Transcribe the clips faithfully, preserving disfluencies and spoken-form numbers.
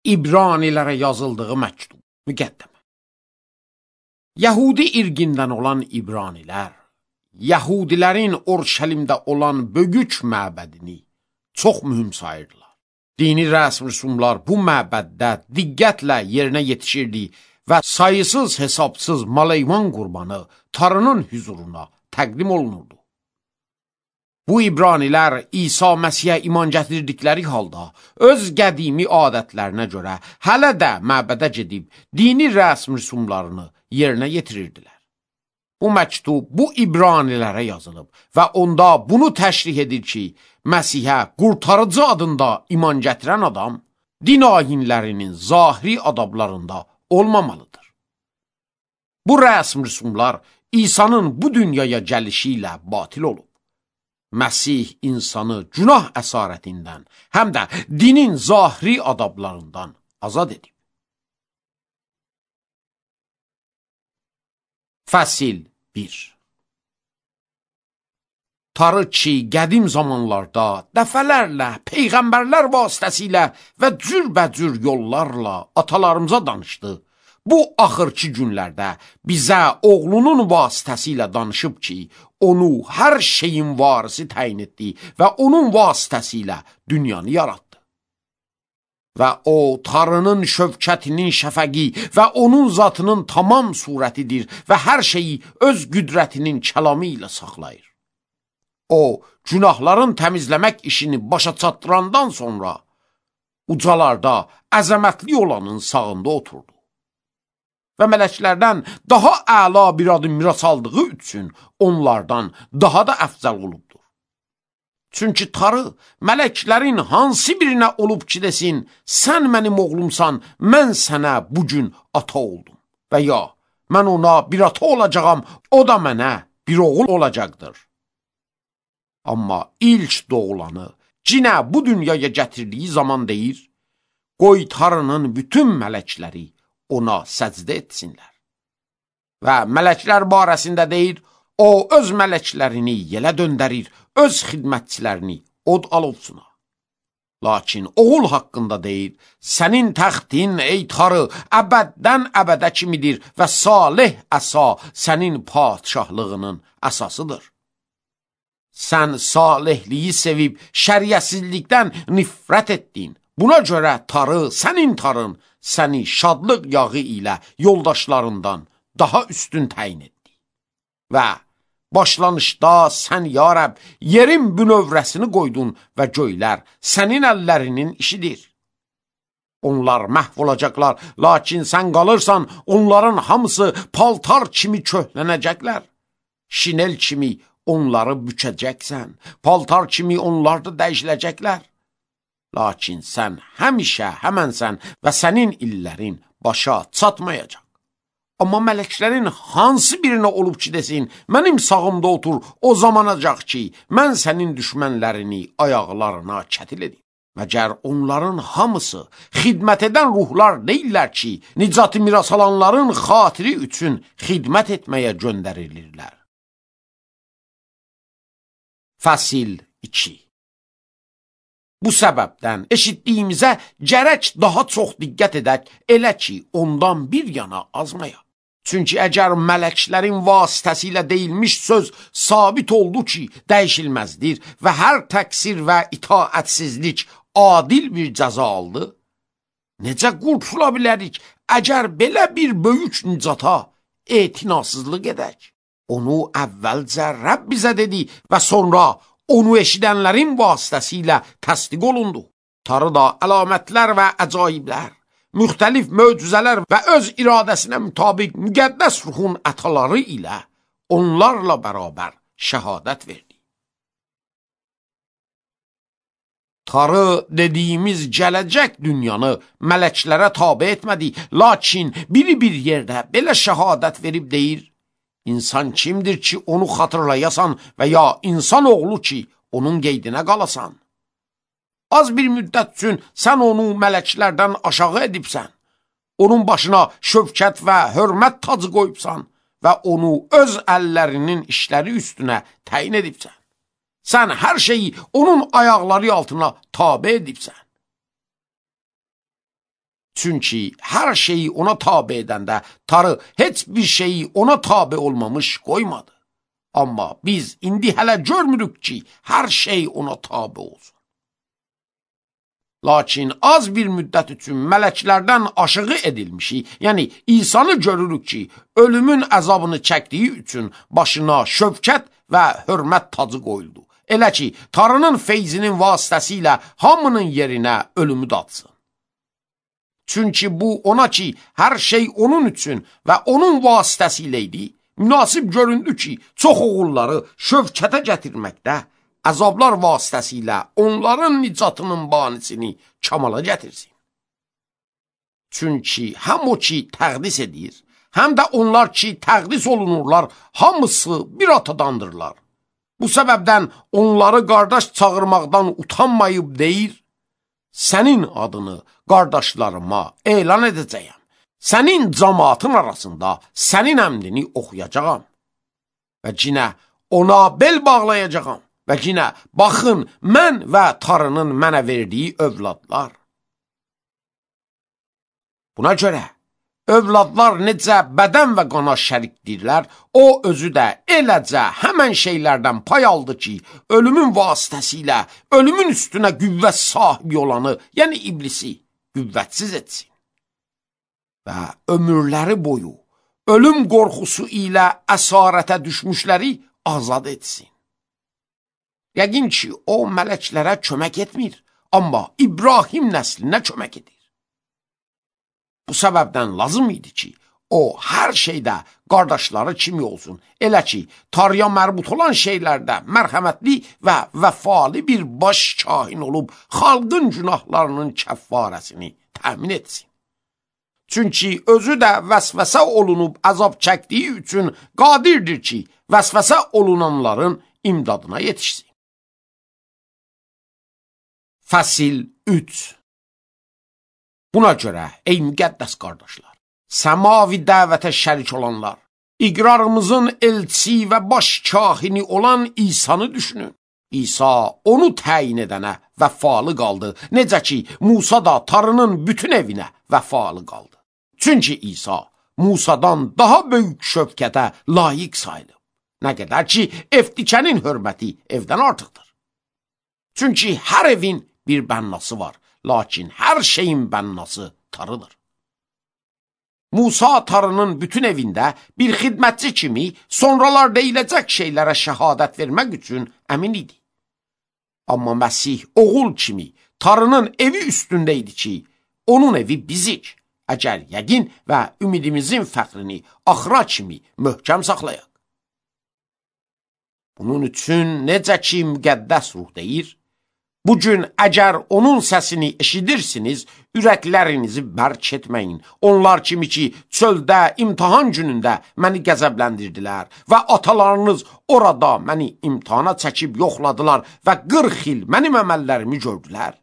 İbranilərə yazıldığı məktub, müqəddəmə. Yəhudi irqindən olan İbranilər, Yəhudilərin Orşəlimdə olan Bögüç məbədini çox mühüm sayırdılar. Dini rəsm rüsumlar bu məbəddə diqqətlə yerinə yetişirdi və sayısız hesabsız maleyvan qurbanı Tanrının hüzuruna təqdim olunurdu. Bu İbranilər İsa Məsihə iman gətirdikləri halda öz qədimi adətlərinə görə hələ də məbədə gedib dini rəsm rüsumlarını yerinə yetirirdilər. Bu məktub bu İbranilərə yazılıb və onda bunu təşrih edir ki, Məsihə qurtarıcı adında iman gətirən adam din ayinlərinin zahiri adablarında olmamalıdır. Bu rəsm rüsumlar İsa'nın bu dünyaya gəlişi ilə batil olub. Məsih insanı günah əsarətindən, həm də dinin zahiri adablarından azad edib. Fəsil bir. Tanrı ki, qədim zamanlarda dəfələrlə, peyğəmbərlər vasitəsilə və cürbəcür yollarla atalarımıza danışdı. Bu axırki günlərdə bizə oğlunun vasitəsilə danışıb ki, onu hər şeyin varisi təyin etdi və onun vasitəsilə dünyanı yarattı. Və o, Tanrının şövkətinin şəfəqi və onun zatının tamam surətidir və hər şeyi öz qüdrətinin kəlamı ilə saxlayır. O, günahların təmizləmək işini başa çatdırandan sonra ucalarda əzəmətli olanın sağında oturdu. Və mələklərdən daha əla bir adı miras aldığı üçün onlardan daha da əfzəl olubdur. Çünki Tanrı mələklərin hansı birinə olub ki desin, sən mənim oğlumsan, mən sənə bugün ata oldum. Və ya, mən ona bir ata olacağam, o da mənə bir oğul olacaqdır. Amma ilk doğulanı cinə bu dünyaya gətirdiyi zaman deyir, qoy Tanrının bütün mələkləri ona səcdə etsinlər. Və mələklər barəsində deyir, o öz mələklərini yelə döndərir, öz xidmətçilərini od alovsuna. Lakin oğul haqqında deyir, sənin təxtin ey Tanrı əbəddən əbədə kimidir və salih əsa sənin padişahlığının əsasıdır. Sən salihliyi sevib şəriətsizlikdən nifrət etdin. Buna görə Tanrı, sənin Tanrın, səni şadlıq yağı ilə yoldaşlarından daha üstün təyin etdi. Və başlanışda sən, ya Rəbb, yerin bünövrəsini qoydun və göylər sənin əllərinin işidir. Onlar məhv olacaqlar, lakin sən qalırsan, onların hamısı paltar kimi köhlənəcəklər. Şinel kimi onları bükəcəksən, paltar kimi onlar da dəyişiləcəklər. Lakin sən həmişə həmənsən və sənin illərin başa çatmayacaq. Amma mələklərin hansı birinə olub ki desin, mənim sağımda otur, o zamanacaq ki, mən sənin düşmənlərini ayaqlarına kətil edim. Məgər onların hamısı xidmət edən ruhlar deyirlər ki, nicatı miras alanların xatiri üçün xidmət etməyə göndərilirlər. Fəsil iki. Bu səbəbdən eşitdiyimizə gərək daha çox diqqət edək, elə ki, ondan bir yana azmayaq. Çünki əgər mələklərin vasitəsilə deyilmiş söz sabit oldu ki, dəyişilməzdir və hər təqsir və itaətsizlik adil bir cəza aldı, necə qurtula bilərik əgər belə bir böyük nicata etinasızlıq edək? Onu əvvəlcə Rəbb bizə dedi və sonra onu eşidənlərin vasitəsilə təsdiq olundu. Tanrı da əlamətlər və əcaiblər, müxtəlif möcüzələr və öz iradəsinə mütabiq müqəddəs ruhun ətaları ilə onlarla bərabər şəhadət verdi. Tanrı dediyimiz gələcək dünyanı mələklərə tabe etmədi, lakin biri bir yerdə belə şəhadət verib deyir, İnsan kimdir ki, onu xatırlayasan və ya insan oğlu ki, onun qeydinə qalasan? Az bir müddət üçün sən onu mələklərdən aşağı edibsən, onun başına şövkət və hörmət tacı qoyubsan və onu öz əllərinin işləri üstünə təyin edibsən. Sən hər şeyi onun ayaqları altına tabe edibsən. Çünki hər şeyi ona tabe edəndə Tanrı heç bir şeyi ona tabe olmamış qoymadı. Amma biz indi hələ görmürük ki, hər şey ona tabe olsun. Lakin az bir müddət üçün mələklərdən aşığı edilmişik, yəni İsa'nı görürük ki, ölümün əzabını çəkdiyi üçün başına şövkət və hörmət tacı qoyuldu. Elə ki, Tanrının feyzinin vasitəsilə hamının yerinə ölümü datsın. Çünki bu ona ki, hər şey onun üçün və onun vasitəsilə idi, münasib göründü ki, çox oğulları şövkətə gətirməkdə, əzablar vasitəsilə onların nicatının banisini kamala gətirsin. Çünki həm o ki təqdis edir, həm də onlar ki təqdis olunurlar, hamısı bir atadandırlar. Bu səbəbdən onları qardaş çağırmaqdan utanmayıb deyir, sənin adını qardaşlarıma elan edəcəyəm. Sənin cəmaatın arasında sənin əmrini oxuyacağam. Və cinə ona bel bağlayacağam. Və yenə, baxın, mən və Tanrının mənə verdiyi övladlar. Buna görə, övladlar necə bədən və qana şərikdirlər, o özü də eləcə həmən şeylərdən pay aldı ki, ölümün vasitəsilə ölümün üstünə qüvvət sahibi olanı, yəni iblisi, qüvvətsiz etsin. Və ömürləri boyu ölüm qorxusu ilə əsarətə düşmüşləri azad etsin. Yəqin ki, o mələklərə kömək etmir, amma İbrahim nəslinə kömək edir. Bu səbəbdən lazım idi ki, o hər şeydə qardaşları kimi olsun. Elə ki, Tanrıya mərbut olan şeylərdə mərhəmətli və vəfalı bir baş kahin olub, xalqın günahlarının kəffarəsini təmin etsin. Çünki özü də vəsvəsə olunub əzab çəkdiyi üçün qadirdir ki, vəsvəsə olunanların imdadına yetişsin. Fəsil üç. Buna görə, ey müqəddəs qardaşlar, səmavi dəvətə şərik olanlar, iqrarımızın elçisi və baş kahini olan İsa'nı düşünün. İsa onu təyin edənə vəfalı qaldı, necə ki, Musa da Tanrının bütün evinə vəfalı qaldı. Çünki İsa Musadan daha böyük şövkətə layiq sayılıb. Nə qədər ki, evdikənin hörməti evdən artıqdır. Çünki hər evin bir bənnası var, lakin hər şeyin bənnası Tanrıdır. Musa Tanrının bütün evində bir xidmətçi kimi sonralar deyiləcək şeylərə şəhadət vermək üçün əmin idi. Amma Məsih oğul kimi Tanrının evi üstündə idi ki, onun evi bizik, əgər yəqin və ümidimizin fəxrini axıra kimi möhkəm saxlayaq. Bunun üçün necə ki müqəddəs ruh deyir, bugün əgər onun səsini eşidirsiniz, ürəklərinizi bərk etməyin. Onlar kimi ki, çöldə, imtihan günündə məni qəzəbləndirdilər və atalarınız orada məni imtihana çəkib yoxladılar və qırx il mənim əməllərimi gördülər.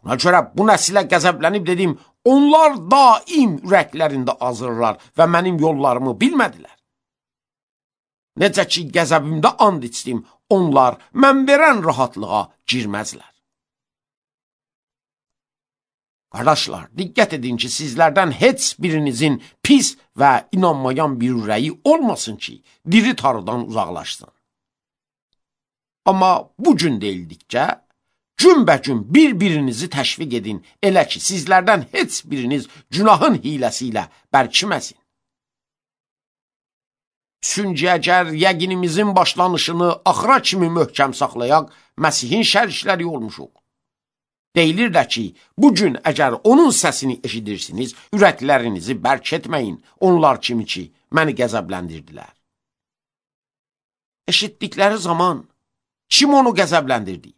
Buna görə bu nəsilə qəzəblənib dedim, onlar daim ürəklərində azırlar və mənim yollarımı bilmədilər. Necə ki, qəzəbimdə and içdim, onlar mən verən rahatlığa girməzlər. Qardaşlar, diqqət edin ki, sizlərdən heç birinizin pis və inanmayan bir ürəyi olmasın ki, diri Tanrıdan uzaqlaşsın. Amma bu gün deyildikcə, günbəgün bir-birinizi təşviq edin, elə ki, sizlərdən heç biriniz günahın hiləsi ilə bərkiməsin. Çünki əgər yəqinimizin başlanışını axıra kimi möhkəm saxlayaq, Məsihin şərikləri olmuşuq. Deyilir də ki, bugün əgər onun səsini eşidirsiniz, ürəklərinizi bərk etməyin, onlar kimi ki, məni qəzəbləndirdilər. Eşitdikləri zaman kim onu qəzəbləndirdi?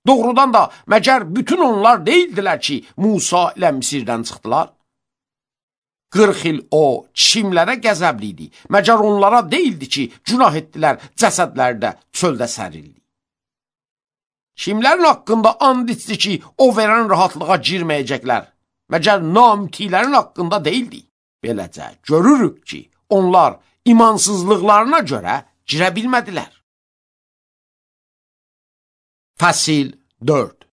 Doğrudan da məgər bütün onlar deyildilər ki, Musa ilə Misirdən çıxdılar? qırx il o kimlərə qəzəbli idi? Məgər onlara deyildi ki, günah etdilər, cəsədləri də çöldə sərildi. Kimlərin haqqında and içdi ki, o verən rahatlığa girməyəcəklər? Məgər namütilərin haqqında deyildi? Beləcə görürük ki, onlar imansızlıqlarına görə girə bilmədilər. Fəsil dörd.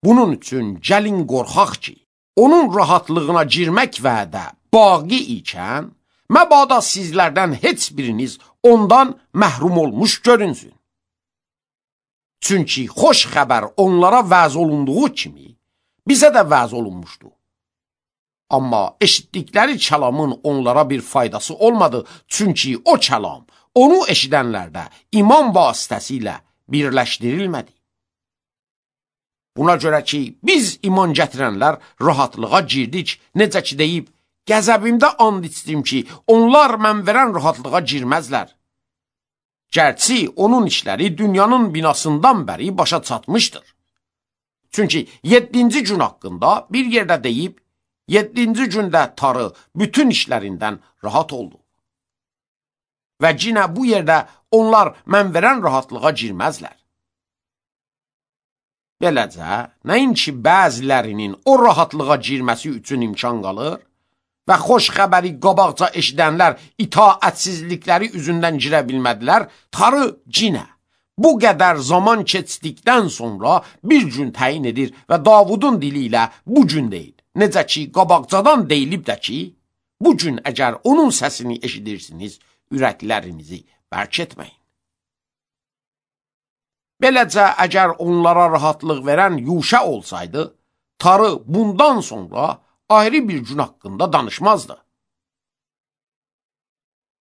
Bunun üçün gəlin qorxaq ki, onun rahatlığına girmək vədə baqi ikən, məbada sizlərdən heç biriniz ondan məhrum olmuş görünsün. Çünki xoş xəbər onlara vəz olunduğu kimi, bizə də vəz olunmuşdu. Amma eşitdikləri kəlamın onlara bir faydası olmadı, çünki o kəlam onu eşidənlərdə iman vasitəsilə birləşdirilmədi. Buna görə ki, biz iman gətirənlər rahatlığa girdik, necə ki deyib, qəzəbimdə and içdim ki, onlar mən verən rahatlığa girməzlər. Gərçi onun işləri dünyanın binasından bəri başa çatmışdır. Çünki yeddinci gün haqqında bir yerdə deyib, yeddinci gündə tarı bütün işlərindən rahat oldu. Və cinə bu yerdə onlar mən verən rahatlığa girməzlər. Beləcə, nəinki bəzilərinin o rahatlığa girməsi üçün imkan qalır və xoş xəbəri qabaqca eşidənlər itaətsizlikləri üzündən girə bilmədilər, tarı cinə bu qədər zaman keçdikdən sonra bir gün təyin edir və Davudun dili ilə bu gün deyil. Necə ki, qabaqcadan deyilib də ki, bu gün əgər onun səsini eşidirsiniz, ürəklərinizi bərk etməyin. Beləcə, əgər onlara rahatlıq verən Yuşa olsaydı, tarı bundan sonra ayrı bir gün haqqında danışmazdı.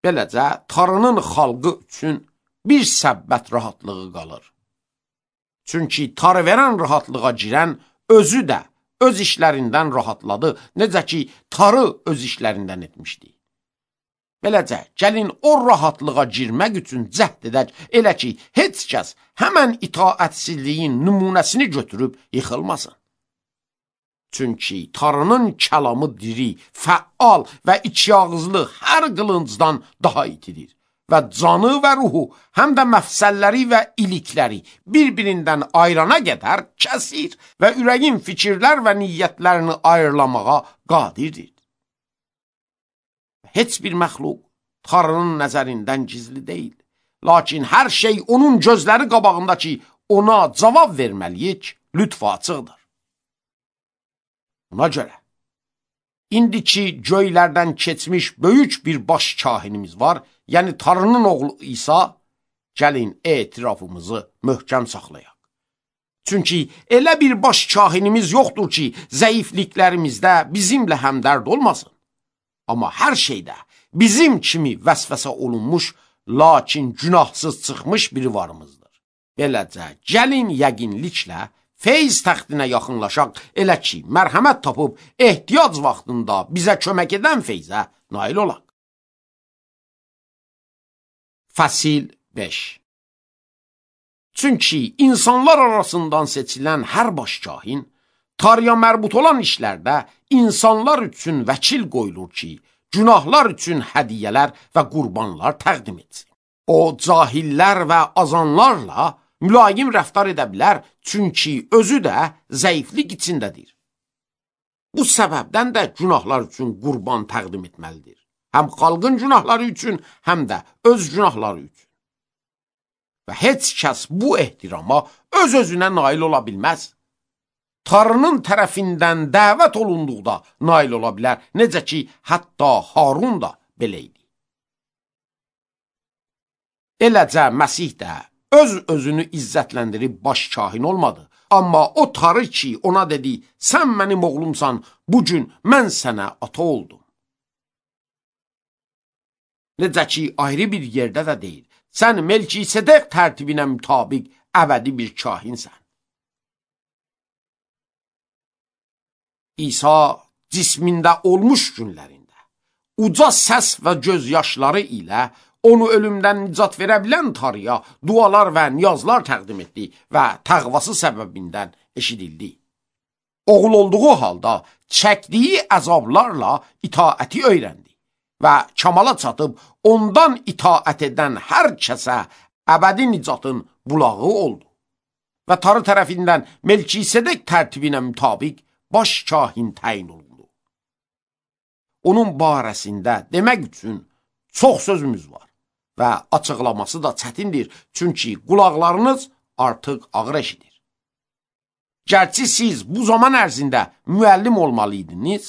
Beləcə, tarının xalqı üçün bir səbbət rahatlığı qalır. Çünki tarı verən rahatlığa girən özü də öz işlərindən rahatladı, necə ki, tarı öz işlərindən etmişdi. Beləcə, gəlin o rahatlığa girmək üçün cəhd edək, elə ki, heç kəs həmən itaətsizliyin nümunəsini götürüb yıxılmasın. Çünki tarının kəlamı diri, fəal və içiyağızlı hər qılıncdan daha itidir və canı və ruhu, həm də məfsəlləri və ilikləri bir-birindən ayrana qədər kəsir və ürəyin fikirlər və niyyətlərini ayrılamağa qadirdir. Heç bir məxluq tarının nəzərindən gizli deyil. Lakin hər şey onun gözləri qabağında ki, ona cavab verməliyik, lütfü açıqdır. Buna görə, indiki göylərdən keçmiş böyük bir baş kahinimiz var, yəni tarının oğlu İsa, gəlin etirafımızı möhkəm saxlayaq. Çünki elə bir baş kahinimiz yoxdur ki, zəifliklərimizdə bizimlə həmdərd olmasın. Amma hər şeydə bizim kimi vəsvəsə olunmuş, lakin günahsız çıxmış biri varımızdır. Beləcə, gəlin yəqinliklə feyz təxtinə yaxınlaşaq, elə ki, mərhəmət tapıb ehtiyac vaxtında bizə kömək edən feyzə nail olaq. Fəsil beş. Çünki insanlar arasından seçilən hər baş kahin, tarıya mərbut olan işlərdə insanlar üçün vəkil qoyulur ki, günahlar üçün hədiyyələr və qurbanlar təqdim etsin. O, cahillər və azanlarla mülayim rəftar edə bilər, çünki özü də zəiflik içindədir. Bu səbəbdən də günahlar üçün qurban təqdim etməlidir. Həm xalqın günahları üçün, həm də öz günahları üçün. Və heç kəs bu ehtirama öz-özünə nail ola bilməz. Tarının tərəfindən dəvət olunduqda nail ola bilər, necə ki, hətta Harun da belə idi. Eləcə, Məsih də öz-özünü izzətləndirib baş kahin olmadı. Amma o tarı ki, ona dedi, sən mənim oğlumsan, bugün mən sənə ata oldum. Necə ki, ayrı bir yerdə də deyil, sən Melkisedek tərtibinə mütabiq əbədi bir kahinsən. İsa cismində olmuş günlərində, uca səs və gözyaşları ilə onu ölümdən nicat verə bilən tarıya dualar və niyazlar təqdim etdi və təqvası səbəbindən eşidildi. Oğul olduğu halda çəkdiyi əzablarla itaəti öyrəndi və kamala çatıb ondan itaət edən hər kəsə əbədi nicatın bulağı oldu. Və tarı tərəfindən Melkisedek tərtibinə mütabiq baş kahin təyin olundu. Onun barəsində demək üçün çox sözümüz var və açıqlaması da çətindir, çünki qulaqlarınız artıq ağır eşidir. Gərçi siz bu zaman ərzində müəllim olmalıydınız,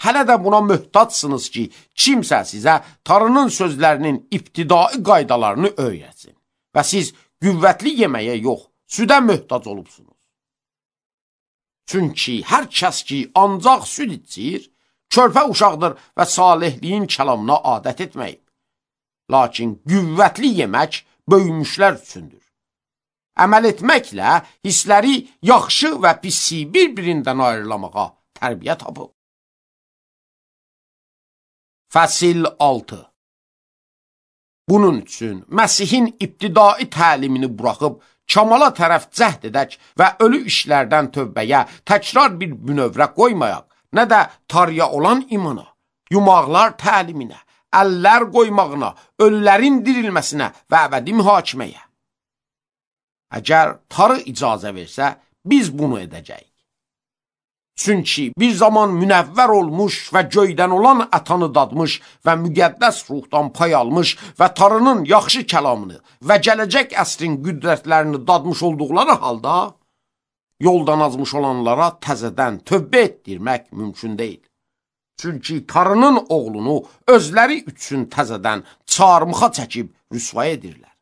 hələ də buna möhtaçsınız ki, kimsə sizə Tanrının sözlərinin ibtidai qaydalarını öyrətsin və siz qüvvətli yeməyə yox, südə möhtac olubsunuz. Çünki hər kəs ki, ancaq süd içir, körpə uşaqdır və salihliyin kəlamına adət etməyib. Lakin qüvvətli yemək böyümüşlər üçündür. Əməl etməklə hissləri yaxşı və pisi bir-birindən ayrılamağa tərbiyə tapıb. Fəsil altı. Bunun üçün Məsihin ibtidai təlimini buraxıb, kamala tərəf cəhd edək və ölü işlərdən tövbəyə təkrar bir bünövrə qoymayaq, nə də tarıya olan imana, yumaqlar təliminə, əllər qoymağına, ölülərin dirilməsinə və əbədi mühakiməyə. Əgər tarı icazə versə, biz bunu edəcəyik. Çünki bir zaman münəvvər olmuş və göydən olan ətanı dadmış və müqəddəs ruhdan pay almış və tarının yaxşı kəlamını və gələcək əsrin qüdrətlərini dadmış olduqları halda, yoldan azmış olanlara təzədən tövbə etdirmək mümkün deyil. Çünki tarının oğlunu özləri üçün təzədən çarmıxa çəkib rüsvay edirlər.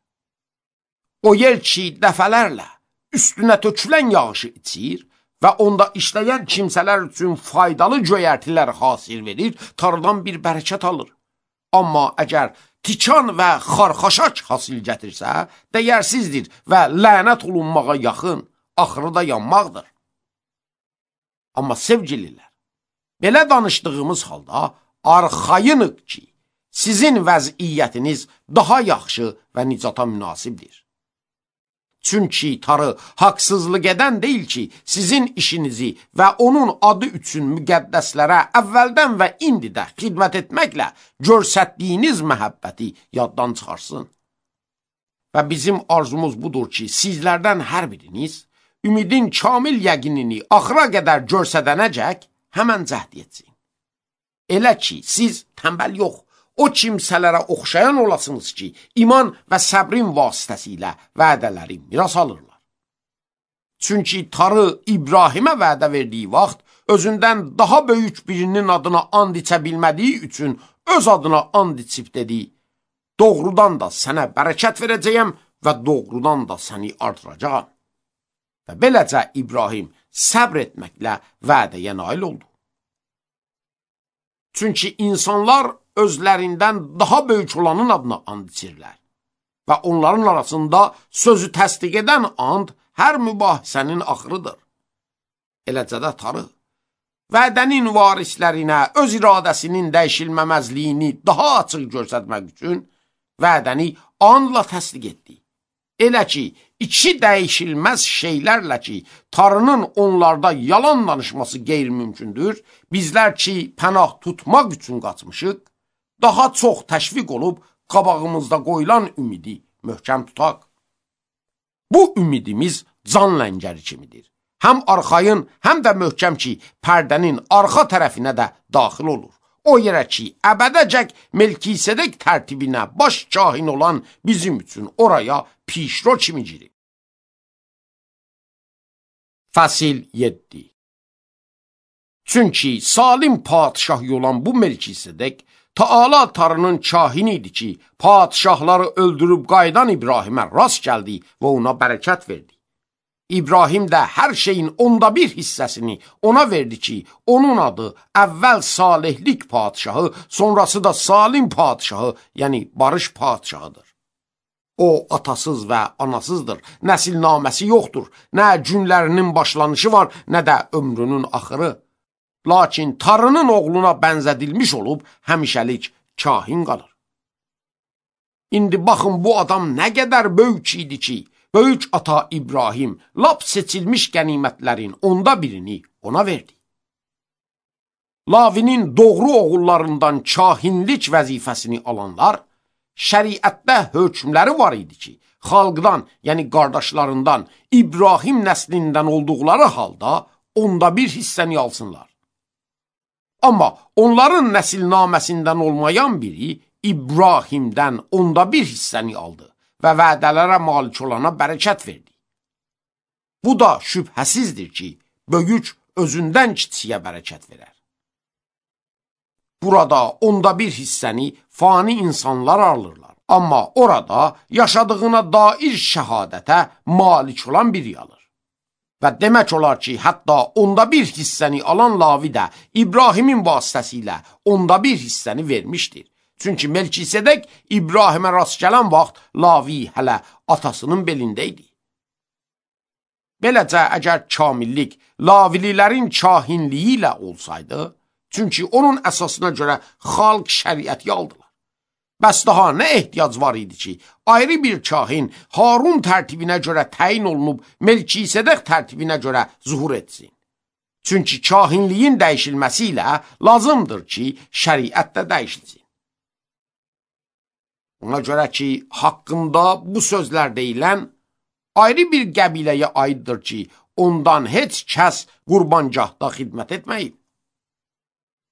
O yer ki, dəfələrlə üstünə tökülən yağışı içir və onda işləyən kimsələr üçün faydalı göyərtilər hasil verir, tarıdan bir bərəkət alır. Amma əgər tikan və xarxaşaç hasil gətirsə, dəyərsizdir və lənət olunmağa yaxın, axırı da yanmaqdır. Amma sevgililər, belə danışdığımız halda arxayınıq ki, sizin vəziyyətiniz daha yaxşı və nicata münasibdir. Çünki tarı haqsızlıq edən deyil ki, sizin işinizi və onun adı üçün müqəddəslərə əvvəldən və indi də xidmət etməklə görsətdiyiniz məhəbbəti yaddan çıxarsın. Və bizim arzumuz budur ki, sizlərdən hər biriniz ümidin kamil yəqinini axıra qədər görsədənəcək həmən cəhd etsin. Elə ki, siz tənbəl yox, o kimsələrə oxşayan olasınız ki, iman və səbrin vasitəsilə vədələri miras alırlar. Çünki tarı İbrahimə vədə verdiyi vaxt, özündən daha böyük birinin adına and içə bilmədiyi üçün öz adına and içib dedi, doğrudan da sənə bərəkət verəcəyəm və doğrudan da səni artıracağam. Və beləcə İbrahim səbr etməklə vədəyə nail oldu. Çünki insanlar özlərindən daha böyük olanın adına and içirlər və onların arasında sözü təsdiq edən and hər mübahisənin axırıdır. Eləcə də tarı, vədənin varislərinə öz iradəsinin dəyişilməməzliyini daha açıq göstərmək üçün vədəni andla təsdiq etdi. Elə ki, iki dəyişilməz şeylərlə ki, tarının onlarda yalan danışması qeyri-mümkündür, bizlər ki, pənah tutmaq üçün qaçmışıq, daha çox təşviq olub qabağımızda qoyulan ümidi möhkəm tutaq. Bu ümidimiz can ləngəri kimidir. Həm arxayın, həm də möhkəm ki, pərdənin arxa tərəfinə də daxil olur. O yerə ki, əbədəcək Melkisedek tərtibinə baş kahin olan bizim üçün oraya pişro kimi girir. Fəsil yeddi. Çünki salim padişahı olan bu Melkisedek, Taala tarının kahini idi ki, padişahları öldürüb qaydan İbrahimə rast gəldi və ona bərəkət verdi. İbrahim də hər şeyin onda bir hissəsini ona verdi ki, onun adı əvvəl salihlik padişahı, sonrası da salim padişahı, yəni barış padişahıdır. O atasız və anasızdır, nəsilnaməsi yoxdur, nə günlərinin başlanışı var, nə də ömrünün axırı. Lakin tarının oğluna bənzədilmiş olub, həmişəlik kahin qalır. İndi baxın, bu adam nə qədər böyük idi ki, böyük ata İbrahim lap seçilmiş qənimətlərin onda birini ona verdi. Lavinin doğru oğullarından kahinlik vəzifəsini alanlar, şəriətdə hökmləri var idi ki, xalqdan, yəni qardaşlarından, İbrahim nəslindən olduqları halda onda bir hissəni alsınlar. Amma onların nəsilnaməsindən olmayan biri İbrahimdən onda bir hissəni aldı və vədələrə malik olana bərəkət verdi. Bu da şübhəsizdir ki, böyük özündən kiçiyə bərəkət verər. Burada onda bir hissəni fani insanlar alırlar. Amma orada yaşadığına dair şəhadətə malik olan biri alır. Və demək olar ki, hətta onda bir hissəni alan Lavi də İbrahimin vasitəsilə onda bir hissəni vermişdir. Çünki Melkisedek İbrahimə rast gələn vaxt Lavi hələ atasının belində idi. Beləcə, əgər kamillik Lavililərin kahinliyi ilə olsaydı, çünki onun əsasına görə xalq şəriəti aldılar. Bəs daha nə ehtiyac var idi ki, ayrı bir kahin Harun tərtibinə görə təyin olunub Melkisedek tərtibinə görə zuhur etsin. Çünki kahinliyin dəyişilməsi ilə lazımdır ki, şəriət də dəyişilsin. Ona görə ki, haqqında bu sözlər deyilən ayrı bir qəbiləyə aiddir ki, ondan heç kəs qurbangahda xidmət etməyib.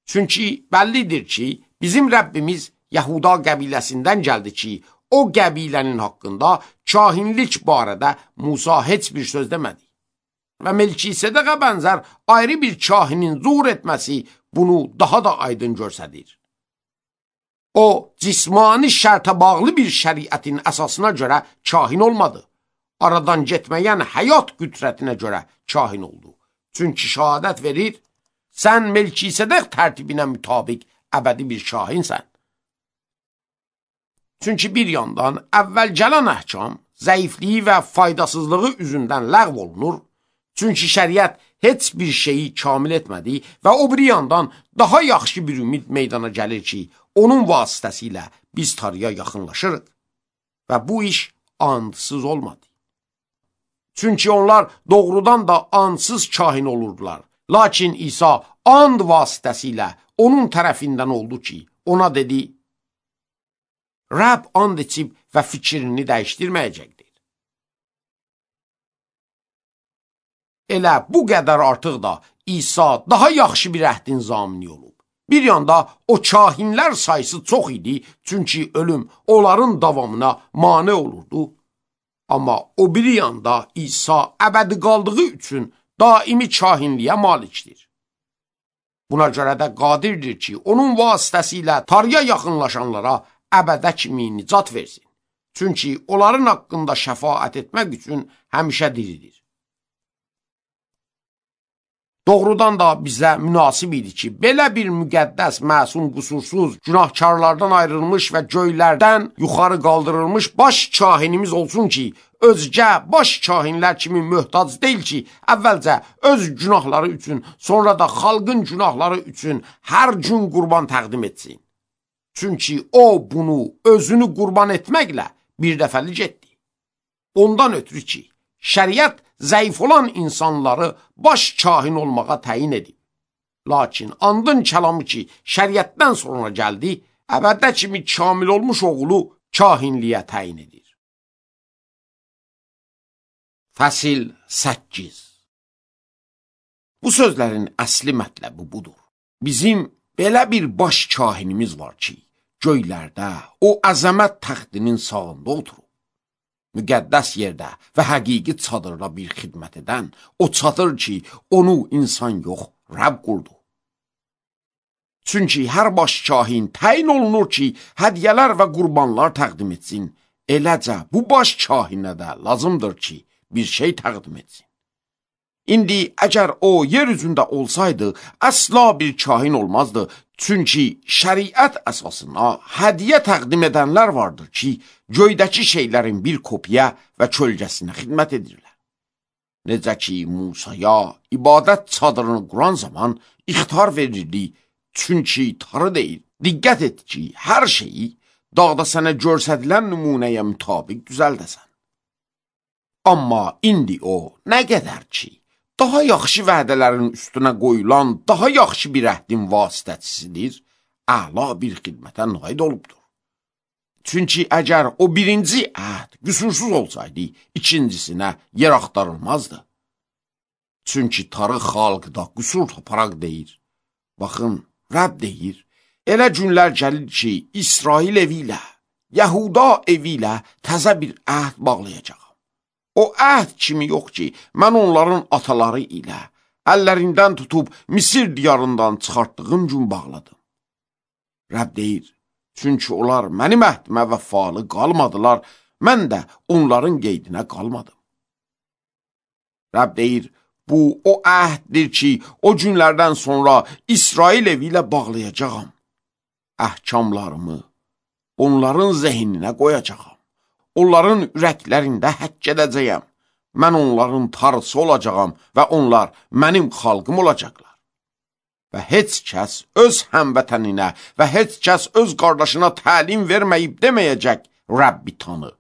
Çünki bəllidir ki, bizim Rəbbimiz Yahuda qəbiləsindən gəldi ki, o qəbilənin haqqında kahinlik barədə Musa heç bir söz demədi. Və Melkisedekə bənzər ayrı bir kahinin zuhur etməsi bunu daha da aydın göstərir. O, cismani şərtə bağlı bir şəriətin əsasına görə kahin olmadı. Aradan getməyən həyat qüdrətinə görə kahin oldu. Çünki şəhadət verir, sən Melkisedek tərtibinə mütabiq əbədi bir kahinsən. Çünki bir yandan əvvəl gələn əhkam zəifliyi və faydasızlığı üzündən ləğv olunur. Çünki şəriət heç bir şeyi kamil etmədi və o bir yandan daha yaxşı bir ümid meydana gəlir ki, onun vasitəsilə biz Tanrıya yaxınlaşırıq. Və bu iş andsız olmadı. Çünki onlar doğrudan da andsız kahin olurdular. Lakin İsa and vasitəsilə onun tərəfindən oldu ki, ona dedi, Rəbb and içib və fikrini dəyişdirməyəcəkdir. Elə bu qədər artıq da İsa daha yaxşı bir əhdin zamini olub. Bir yanda o kahinlər sayısı çox idi, çünki ölüm onların davamına mane olurdu. Amma o bir yanda İsa əbədi qaldığı üçün daimi kahinliyə malikdir. Buna görə də qadirdir ki, onun vasitəsilə Tanrıya yaxınlaşanlara əbədə kimi nicat versin. Çünki onların haqqında şəfaət etmək üçün həmişə diridir. Doğrudan da bizə münasib idi ki, belə bir müqəddəs, məsum, qusursuz, günahkarlardan ayrılmış və göylərdən yuxarı qaldırılmış baş kahinimiz olsun ki, özgə baş kahinlər kimi möhtac deyil ki, əvvəlcə öz günahları üçün, sonra da xalqın günahları üçün hər gün qurban təqdim etsin. Çünki o bunu özünü qurban etməklə bir dəfəlik etdi. Ondan ötürü ki, şəriət zəif olan insanları baş kahin olmağa təyin edib. Lakin andın kəlamı ki, şəriətdən sonra gəldi, əbədə kimi kamil olmuş oğlu kahinliyə təyin edir. Fəsil səkkiz. Bu sözlərin əsli mətləbi budur. Bizim belə bir baş kahinimiz var ki, göylərdə o əzəmət təxtinin sağında oturur. Müqəddəs yerdə və həqiqi çadırda bir xidmət edən o çadır ki, onu insan yox, Rəbb qurdu. Çünki hər baş kahin təyin olunur ki, hədiyyələr və qurbanlar təqdim etsin. Eləcə bu baş kahinə də lazımdır ki, bir şey təqdim etsin. İndi əgər o yer üzündə olsaydı, əsla bir kahin olmazdı. Çünki şəriət əsasına hədiyyə təqdim edənlər vardır ki, göydəki şeylərin bir kopya və kölgəsinə xidmət edirlər. Necə ki, Musaya ibadət çadırını quran zaman ixtar verirdi, çünki tarı deyil. Diqqət et ki, hər şeyi dağda sənə görsədilən nümunəyə mütabiq düzəldəsən. Amma indi o nə qədər ki, daha yaxşı vədələrin üstünə qoyulan, daha yaxşı bir əhdin vasitəçisidir, əla bir xidmətə naid olubdur. Çünki əgər o birinci əhd qüsursuz olsaydı, ikincisinə yer axtarılmazdı. Çünki tarı xalqda qüsur taparaq deyir. Baxın, Rəbb deyir, elə günlər gəlir ki, İsrail evi ilə, Yahuda evi ilə təzə bir əhd bağlayacaq. O əhd kimi yox ki, mən onların ataları ilə əllərindən tutub Misir diyarından çıxartdığım gün bağladım. Rəbb deyir, çünki onlar mənim əhdimə vəfalı qalmadılar, mən də onların qeydinə qalmadım. Rəbb deyir, bu o əhddir ki, o günlərdən sonra İsrail evi ilə bağlayacağam. Əhkamlarımı onların zehninə qoyacağam. Onların ürəklərində həkk edəcəyəm. Mən onların tarısı olacağam və onlar mənim xalqım olacaqlar. Və heç kəs öz həmvətəninə və heç kəs öz qardaşına təlim verməyib deməyəcək, Rəbbi tanı.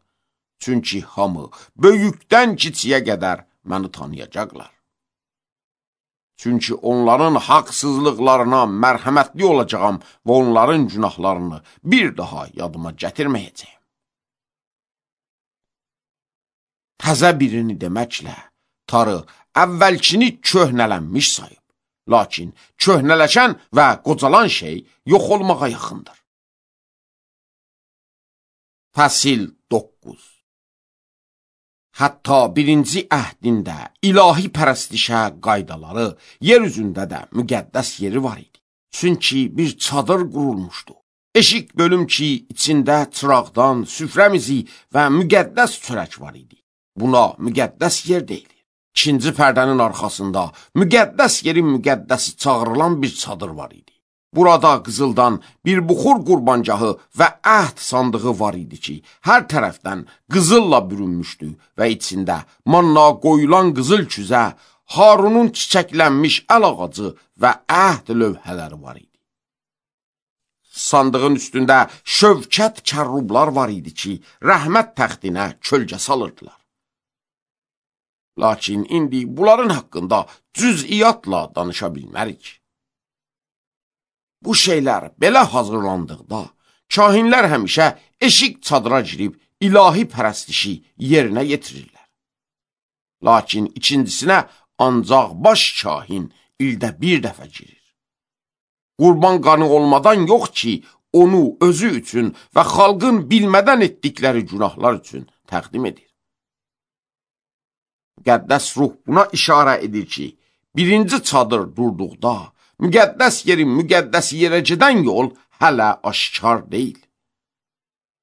Çünki hamı böyükdən kiçiyə qədər məni tanıyacaqlar. Çünki onların haqsızlıqlarına mərhəmətli olacağam və onların günahlarını bir daha yadıma gətirməyəcəyim. Təzə birini deməklə, tarı əvvəlkini köhnələnmiş sayıb. Lakin köhnələşən və qocalan şey yox olmağa yaxındır. Fəsil doqquz. Hətta birinci əhdində ilahi pərəstişə qaydaları yer üzündə də müqəddəs yeri var idi. Çünki bir çadır qurulmuşdu. Eşik bölüm ki, içində çıraqdan, süfrəmizi və müqəddəs çörək var idi. Buna müqəddəs yer deyilir. İkinci pərdənin arxasında müqəddəs yerin müqəddəsi çağırılan bir çadır var idi. Burada qızıldan bir buxur qurbangahı və əhd sandığı var idi ki, hər tərəfdən qızılla bürünmüşdü və içində manna qoyulan qızıl küzə, Harunun çiçəklənmiş əl ağacı və əhd lövhələri var idi. Sandığın üstündə şövkət kərrublar var idi ki, rəhmət təxtinə kölgə salırdılar. Lakin indi bunların haqqında cüz'iyyatla danışa bilmərik. Bu şeylər belə hazırlandıqda, kahinlər həmişə eşik çadıra girib ilahi pərəstişi yerinə yetirirlər. Lakin ikincisinə ancaq baş kahin ildə bir dəfə girir. Qurban qanı olmadan yox ki, onu özü üçün və xalqın bilmədən etdikləri günahlar üçün təqdim edir. Müqəddəs ruh buna işarə edir ki, birinci çadır durduqda, müqəddəs yerin müqəddəs yerə gedən yol hələ aşkar deyil.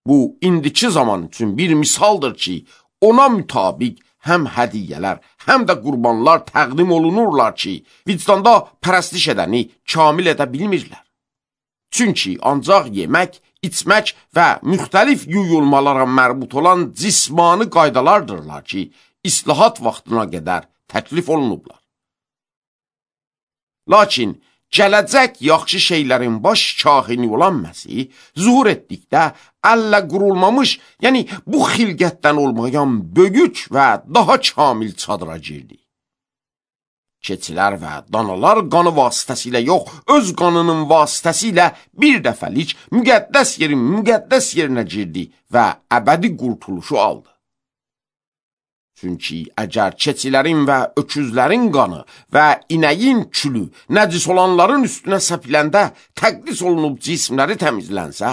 Bu, indiki zaman üçün bir misaldır ki, ona mütabiq həm hədiyyələr, həm də qurbanlar təqdim olunurlar ki, vicdanda pərəstiş edəni kamil edə bilmirlər. Çünki ancaq yemək, içmək və müxtəlif yuyulmalara mərbut olan cismani qaydalardırlar ki, islahat vaxtına qədər təklif olunublar. Lakin gələcək yaxşı şeylərin baş kahini olan Məsih zuhur etdikdə əllə qurulmamış, yəni bu xilqətdən olmayan böyük və daha kamil çadıra girdi. Keçilər və danalar qanı vasitəsilə yox, öz qanının vasitəsilə bir dəfəlik müqəddəs yerin müqəddəs yerinə girdi və əbədi qurtuluşu aldı. Çünki əgər keçilərin və öküzlərin qanı və inəyin külü nəcis olanların üstünə səpiləndə təqdis olunub cismləri təmizlənsə,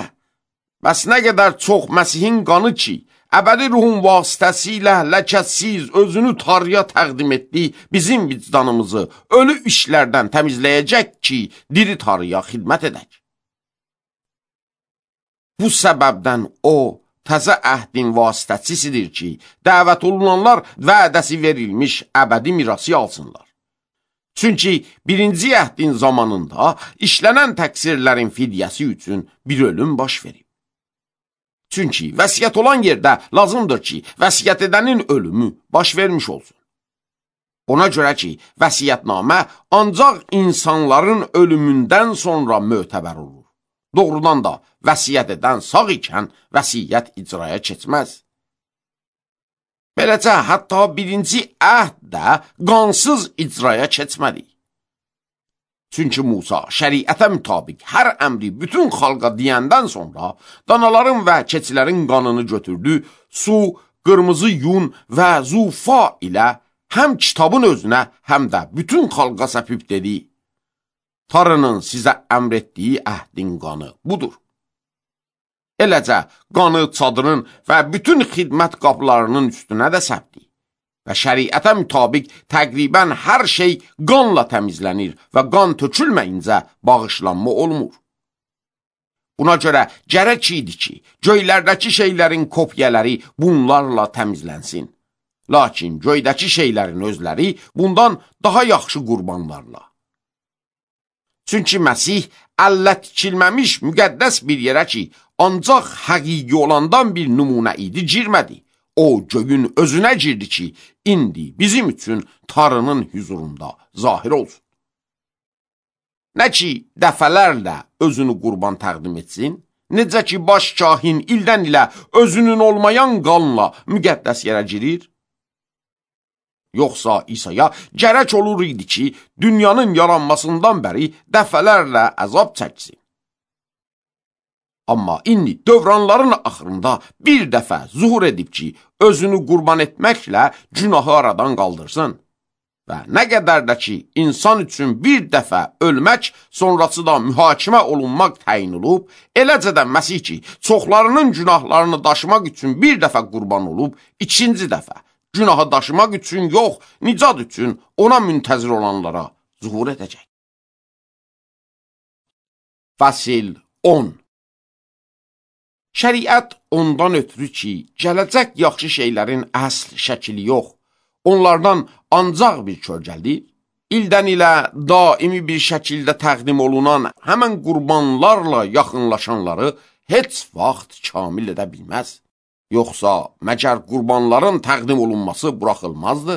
bəs nə qədər çox Məsihin qanı ki, əbədi ruhun vasitəsilə ləkəsiz özünü Tanrıya təqdim etdi, bizim vicdanımızı ölü işlərdən təmizləyəcək ki, diri Tanrıya xidmət edək. Bu səbəbdən o, təzə əhdin vasitəçisidir ki, dəvət olunanlar vədəsi verilmiş əbədi mirası alsınlar. Çünki birinci əhdin zamanında işlənən təqsirlərin fidyəsi üçün bir ölüm baş verib. Çünki vəsiyyət olan yerdə lazımdır ki, vəsiyyət edənin ölümü baş vermiş olsun. Ona görə ki, vəsiyyətnamə ancaq insanların ölümündən sonra mötəbər olur. Doğrudan da vəsiyyət edən sağ ikən vəsiyyət icraya keçməz. Beləcə, hətta birinci əhd də qansız icraya keçmədi. Çünki Musa şəriətə mütabiq hər əmri bütün xalqa deyəndən sonra danaların və keçilərin qanını götürdü, su, qırmızı yun və zufa ilə həm kitabın özünə, həm də bütün xalqa səpib dedi, Tanrının sizə əmr etdiyi əhdin qanı budur. Eləcə, qanı çadırın və bütün xidmət qapılarının üstünə də səpdi. və şəriətə mütabiq təqribən hər şey qanla təmizlənir və qan tökülməyincə bağışlanma olmur. Buna görə gərək idi ki, göylərdəki şeylərin kopyaları bunlarla təmizlənsin. Lakin göydəki şeylərin özləri bundan daha yaxşı qurbanlarla. Çünki Məsih əllə tikilməmiş müqəddəs bir yerə ki, ancaq həqiqi olandan bir nümunə idi, girmədi. O göyün özünə girdi ki, indi bizim üçün Tanrının hüzurunda zahir olsun. Nə ki, dəfələrlə özünü qurban təqdim etsin, necə ki, baş kahin ildən ilə özünün olmayan qanla müqəddəs yerə girir, yoxsa İsa'ya gərək olur idi ki, dünyanın yaranmasından bəri dəfələrlə əzab çəksin. Amma indi dövranların axırında bir dəfə zuhur edib ki, özünü qurban etməklə günahı aradan qaldırsın. Və nə qədər də ki, insan üçün bir dəfə ölmək, sonrası da mühakimə olunmaq təyin olub, eləcə də Məsih ki, çoxlarının günahlarını daşımaq üçün bir dəfə qurban olub, ikinci dəfə günahı daşımaq üçün yox, nicat üçün ona müntəzir olanlara zuhur edəcək. Fəsil on. Şəriət ondan ötürü ki, gələcək yaxşı şeylərin əsl şəkili yox, onlardan ancaq bir kölgəlidir, ildən ilə daimi bir şəkildə təqdim olunan həmən qurbanlarla yaxınlaşanları heç vaxt kamil edə bilməz. Yoxsa məgər qurbanların təqdim olunması buraxılmazdı?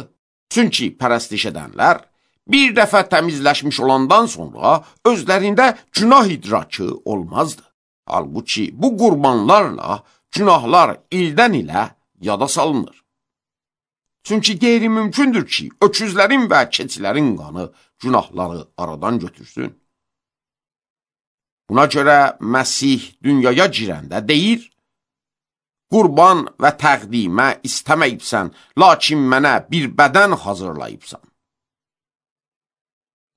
Çünki pərəstiş edənlər bir dəfə təmizləşmiş olandan sonra özlərində günah idrakı olmazdı. Halbuki bu qurbanlarla günahlar ildən ilə yada salınır. Çünki qeyri-mümkündür ki, öküzlərin və keçilərin qanı günahları aradan götürsün. Buna görə Məsih dünyaya girəndə deyir, qurban və təqdimə istəməyibsən, lakin mənə bir bədən hazırlayıbsan.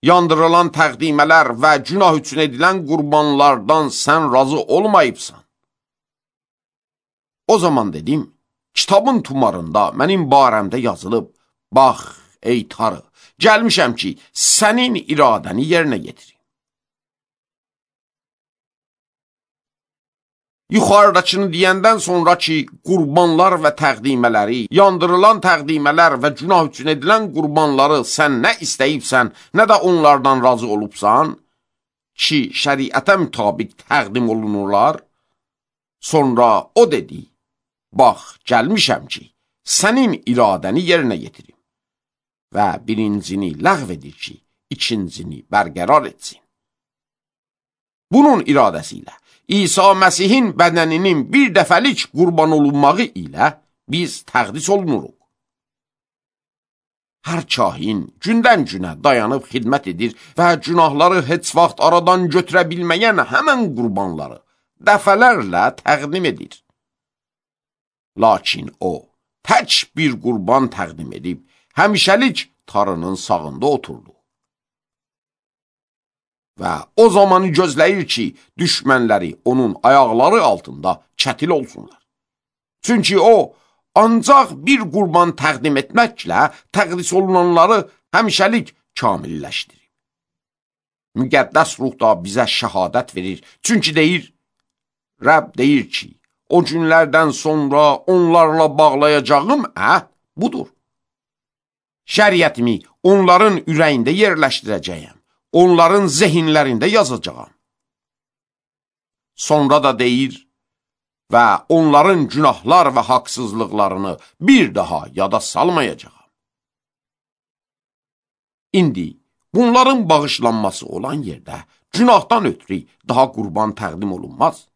Yandırılan təqdimələr və günah üçün edilən qurbanlardan sən razı olmayıbsan. O zaman dedim, kitabın tumarında mənim barəmdə yazılıb, bax, ey Tanrı, gəlmişəm ki, sənin iradəni yerinə yetirim. Yuxarıdakını deyəndən sonra ki, qurbanlar və təqdimələri, yandırılan təqdimələr və günah üçün edilən qurbanları sən nə istəyibsən, nə də onlardan razı olubsan, ki, şəriətə mütabiq təqdim olunurlar, sonra o dedi, bax, gəlmişəm ki, sənin iradəni yerinə yetirim və birincini ləğv edir ki, ikincini bərqərar etsin. Bunun iradəsi ilə İsa Məsihin bədəninin bir dəfəlik qurban olunmağı ilə biz təqdis olunuruq. Hər kahin gündən günə dayanıb xidmət edir və günahları heç vaxt aradan götürə bilməyən həmən qurbanları dəfələrlə təqdim edir. Lakin o, tək bir qurban təqdim edib, həmişəlik Tanrının sağında oturdu. Və o zamanı gözləyir ki, düşmənləri onun ayaqları altında çətil olsunlar. Çünki o, ancaq bir qurban təqdim etməklə təqdis olunanları həmişəlik kamilləşdirir. Müqəddəs ruh da bizə şəhadət verir. Çünki deyir, Rəbb deyir ki, o günlərdən sonra onlarla bağlayacağım əhd budur. Şəriətimi onların ürəyində yerləşdirəcəyəm. Onların zehinlərində yazacağam. Sonra da deyir və onların günahlar və haqsızlıqlarını bir daha yada salmayacağam. İndi bunların bağışlanması olan yerdə günahdan ötürü daha qurban təqdim olunmaz.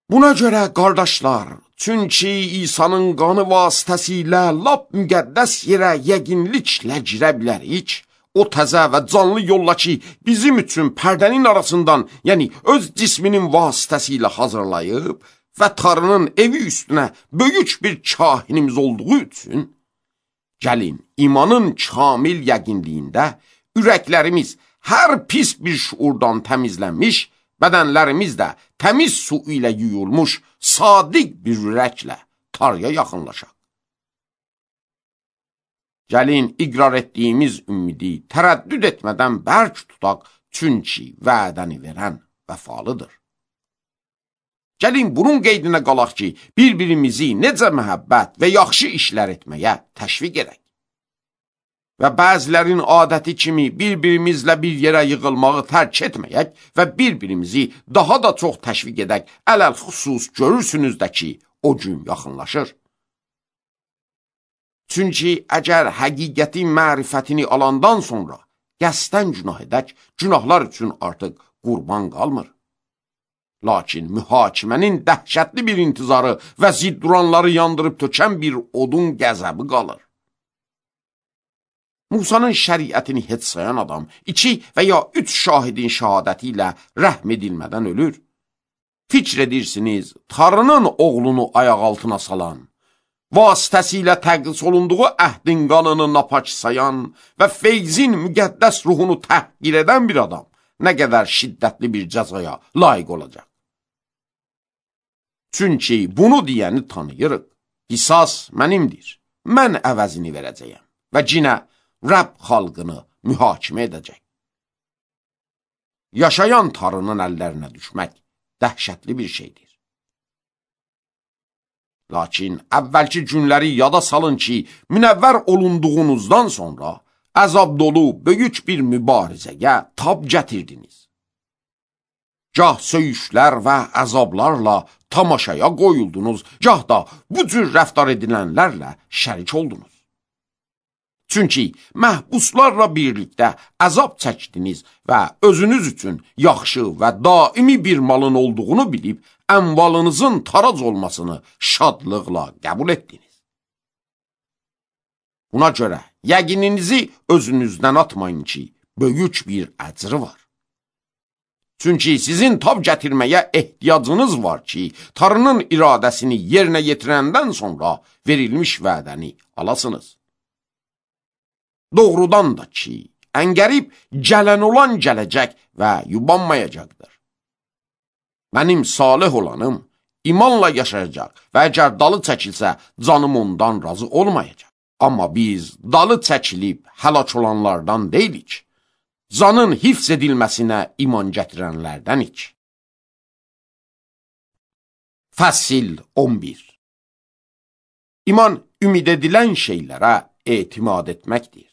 Buna görə qardaşlar, çünki İsa'nın qanı vasitəsilə lap müqəddəs yerə yəqinliklə girə bilərik, o təzə və canlı yolla ki, bizim üçün pərdənin arasından, yəni öz cisminin vasitəsilə hazırlayıb və Tanrının evi üstünə böyük bir kahinimiz olduğu üçün, gəlin, imanın kamil yəqinliyində ürəklərimiz hər pis bir şuurdan təmizlənmiş, bədənlərimiz də təmiz su ilə yuyulmuş, sadiq bir ürəklə Tanrıya yaxınlaşaq. Gəlin iqrar etdiyimiz ümidi tərəddüd etmədən bərk tutaq, çünki vədəni verən vəfalıdır. Gəlin bunun qeydinə qalaq ki, bir-birimizi necə məhəbbət və yaxşı işlər etməyə təşviq edək. Və bəzilərin adəti kimi bir-birimizlə bir yerə yığılmağı tərk etməyək və bir-birimizi daha da çox təşviq edək. Ələl xüsus görürsünüz də ki, o gün yaxınlaşır. Çünki əgər həqiqətin mərifətini alandan sonra qəsdən günah edək, günahlar üçün artıq qurban qalmır. Lakin mühakimənin dəhşətli bir intizarı və zidduranları yandırıb tökən bir odun qəzəbi qalır. Musanın şəriətini heç sayan adam iki və ya üç şahidin şəhadəti ilə rəhm edilmədən ölür. Fikr edirsiniz, Tarının oğlunu ayaq altına salan, vasitəsilə təqdis olunduğu əhdin qanını napaç sayan və feyzin müqəddəs ruhunu təhqir edən bir adam nə qədər şiddətli bir cəzaya layiq olacaq. Çünki bunu deyəni tanıyırıq. Qisas mənimdir, mən əvəzini verəcəyəm və cinə Rəbb xalqını mühakimə edəcək. Yaşayan Tarının əllərinə düşmək dəhşətli bir şeydir. Lakin əvvəlki günləri yada salın ki, münəvvər olunduğunuzdan sonra əzab dolu böyük bir mübarizəyə tab gətirdiniz. Gah söyüşlər və əzablarla tamaşaya qoyuldunuz, gah da bu cür rəftar edilənlərlə şərik oldunuz. Çünki məhbuslarla birlikdə əzab çəkdiniz və özünüz üçün yaxşı və daimi bir malın olduğunu bilib, əmvalınızın tarac olmasını şadlıqla qəbul etdiniz. Buna görə yəqininizi özünüzdən atmayın ki, böyük bir əcri var. Çünki sizin tab gətirməyə ehtiyacınız var ki, Tanrının iradəsini yerinə yetirəndən sonra verilmiş vədəni alasınız. Doğrudan da ki, əngərib gələn olan gələcək və yubanmayacaqdır. Mənim salih olanım imanla yaşayacaq və əgər dalı çəkilsə, canım ondan razı olmayacaq. Amma biz dalı çəkilib həlak olanlardan deyilik, canın hifz edilməsinə iman gətirənlərdənik. Fəsil on bir. İman ümid edilən şeylərə etimad etməkdir.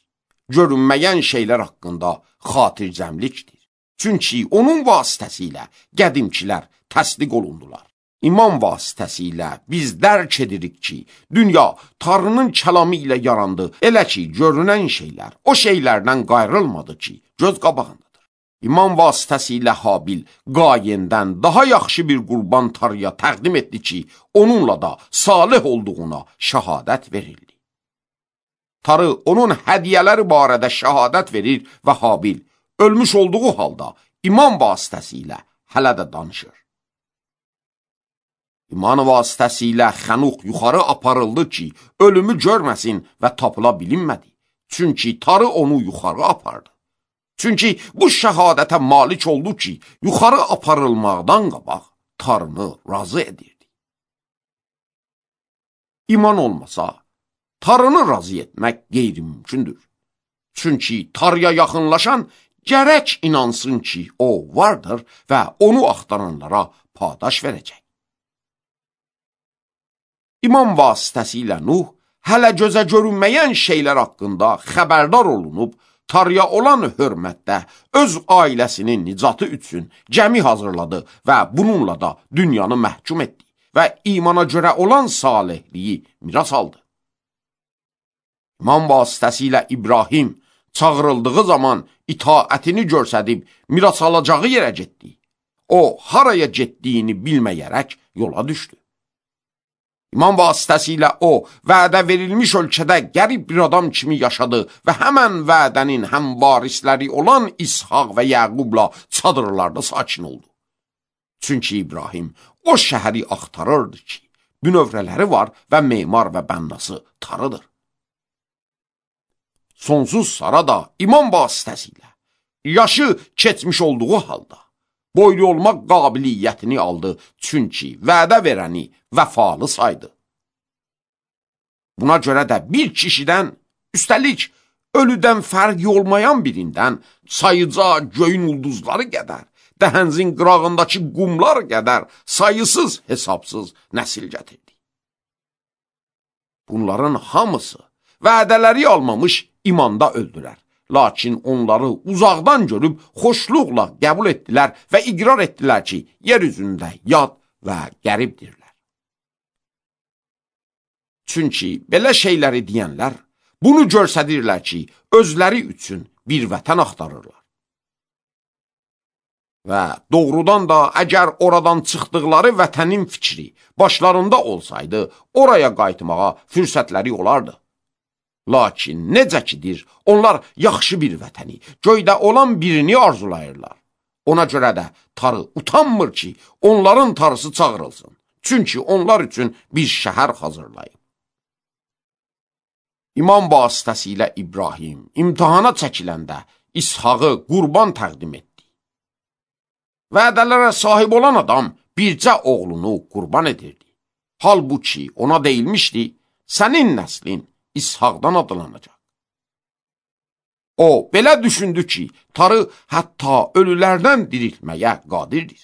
Görünməyən şeylər haqqında xatircəmlikdir. Çünki onun vasitəsilə qədimkilər təsdiq olundular. İman vasitəsilə biz dərk edirik ki, dünya Tanrının kəlamı ilə yarandı. Elə ki, görünən şeylər o şeylərdən qayrılmadı ki, göz qabağındadır. İman vasitəsilə Habil Qayendən daha yaxşı bir qurban Tanrıya təqdim etdi ki, onunla da salih olduğuna şəhadət verildi. Tanrı onun hədiyyələri barədə şəhadət verir və Habil ölmüş olduğu halda iman vasitəsilə hələ də danışır. İman vasitəsilə Xənuq yuxarı aparıldı ki, ölümü görməsin və tapıla bilinmədi. Çünki Tanrı onu yuxarı apardı. Çünki bu şəhadətə malik oldu ki, yuxarı aparılmaqdan qabaq Tanrını razı edirdi. İman olmasa, Tanrını razı etmək qeyri-mümkündür. Çünki Tanrıya yaxınlaşan gərək inansın ki, o vardır və onu axtaranlara padaş verəcək. İman vasitəsilə Nuh hələ gözə görünməyən şeylər haqqında xəbərdar olunub, Tanrıya olan hörmətdə öz ailəsinin nicatı üçün gəmi hazırladı və bununla da dünyanı məhkum etdi və imana görə olan salihliyi miras aldı. İman vasitəsilə İbrahim çağırıldığı zaman itaətini görsədib miras alacağı yerə getdi. O, haraya getdiyini bilməyərək yola düşdü. İman vasitəsilə o, vədə verilmiş ölkədə qərib bir adam kimi yaşadı və həmən vədənin həm varisləri olan İshaq və Yəqubla çadırlarda sakin oldu. Çünki İbrahim o şəhəri axtarırdı ki, bünövrələri var və memar və bənnası Tanrıdır. Sonsuz Sara da iman vasitəsilə yaşı keçmiş olduğu halda boylu olmaq qabiliyyətini aldı, çünki vədə verəni vəfalı saydı. Buna görə də bir kişidən Üstəlik, ölüdən fərqi olmayan birindən sayıca göyün ulduzları qədər, dəhənzin qırağındakı qumlar qədər sayısız hesabsız nəsil gətirdi. Bunların hamısı vədələri almamış imanda öldülər. Lakin onları uzaqdan görüb xoşluqla qəbul etdilər və iqrar etdilər ki, yer üzündə yad və qəribdirlər. Çünki belə şeyləri deyənlər bunu görsədirlər ki, özləri üçün bir vətən axtarırlar. Və doğrudan da əgər oradan çıxdıqları vətənin fikri başlarında olsaydı, oraya qayıtmağa fürsətləri olardı. Lakin necə kidir, onlar yaxşı bir vətəni, göydə olan birini arzulayırlar. Ona görə də tarı utanmır ki, onların tarısı çağırılsın. Çünki onlar üçün bir şəhər hazırlayıb. İmam vasitəsilə İbrahim imtihana çəkiləndə İshaqı qurban təqdim etdi. Vədələrə sahib olan adam bircə oğlunu qurban edirdi. Halbuki ona deyilmişdi, sənin nəslin İshaqdan adlanacaq. O, belə düşündü ki, tarı hətta ölülərdən diriltməyə qadirdir.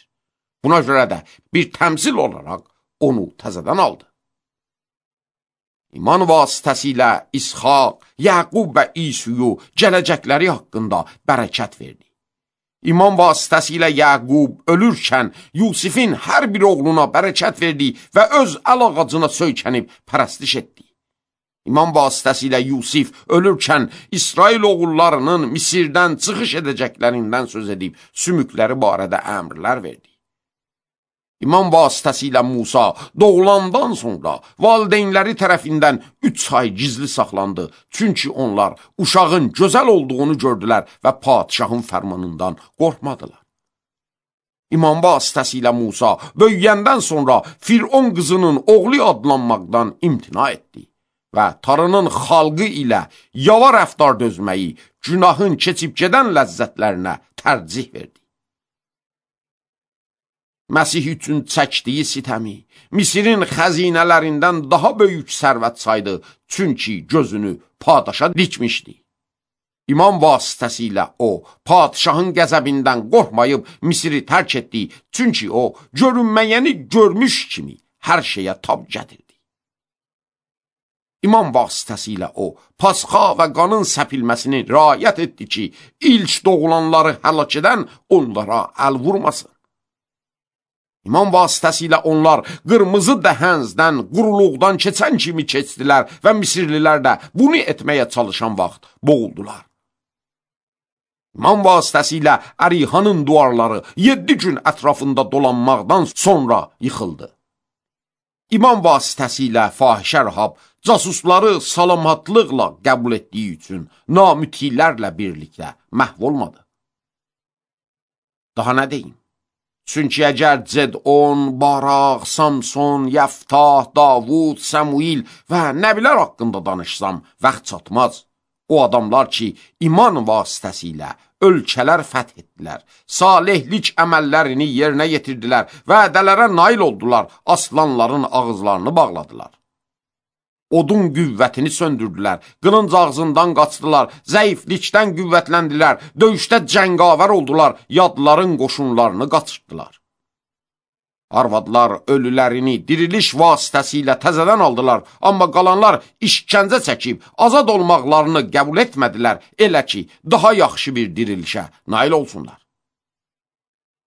Buna görə də bir təmsil olaraq onu təzədən aldı. İman vasitəsilə İshaq, Yaqub və İsuyu gələcəkləri haqqında bərəkət verdi. İman vasitəsilə Yaqub ölürkən Yusifin hər bir oğluna bərəkət verdi və öz əl ağacına söykənib pərəstiş etdi. İman vasitəsilə Yusif ölürkən İsrail oğullarının Misirdən çıxış edəcəklərindən söz edib sümükləri barədə əmrlər verdi. İman vasitəsilə Musa doğulandan sonra valideynləri tərəfindən üç ay gizli saxlandı. Çünki onlar uşağın gözəl olduğunu gördülər və padişahın fərmanından qorxmadılar. İman vasitəsilə Musa böyüyəndən sonra Firon qızının oğlu adlanmaqdan imtina etdi və tarının xalqı ilə yava rəftar dözməyi, günahın keçib gedən ləzzətlərinə tərcih verdi. Məsih üçün çəkdiyi sitəmi, Misirin xəzinələrindən daha böyük sərvət saydı, çünki gözünü padişaha dikmişdi. İman vasitəsilə o, padişahın qəzəbindən qorxmayıb Misiri tərk etdi, çünki o, görünməyəni görmüş kimi hər şeyə tab gətirdi. İman vasitəsilə o, pasxa və qanın səpilməsini riayət etdi ki, ilk doğulanları həlak edən onlara əl vurmasın. İman vasitəsilə onlar qırmızı dəhəzdən, quruluqdan keçən kimi keçdilər və Misirlilər də bunu etməyə çalışan vaxt boğuldular. İman vasitəsilə Ərihanın duvarları yeddi gün ətrafında dolanmaqdan sonra yıxıldı. İman vasitəsilə fahişə Rahab casusları salamatlıqla qəbul etdiyi üçün namütilərlə birlikdə məhv olmadı. Daha nə deyim? Çünki əgər Cedon, Baraq, Samson, Yəftah, Davud, Səmuil və nəbilər haqqında danışsam, vaxt çatmaz. O adamlar ki, iman vasitəsilə ölkələr fəth etdilər, salihlik əməllərini yerinə yetirdilər, vədələrə nail oldular, aslanların ağızlarını bağladılar. Odun qüvvətini söndürdülər, qılınc ağzından qaçdılar, zəiflikdən qüvvətləndilər, döyüşdə cəngavər oldular, yadların qoşunlarını qaçırtdılar. Arvadlar ölülərini diriliş vasitəsilə təzədən aldılar, amma qalanlar işkəncə çəkib, azad olmaqlarını qəbul etmədilər, elə ki, daha yaxşı bir dirilişə nail olsunlar.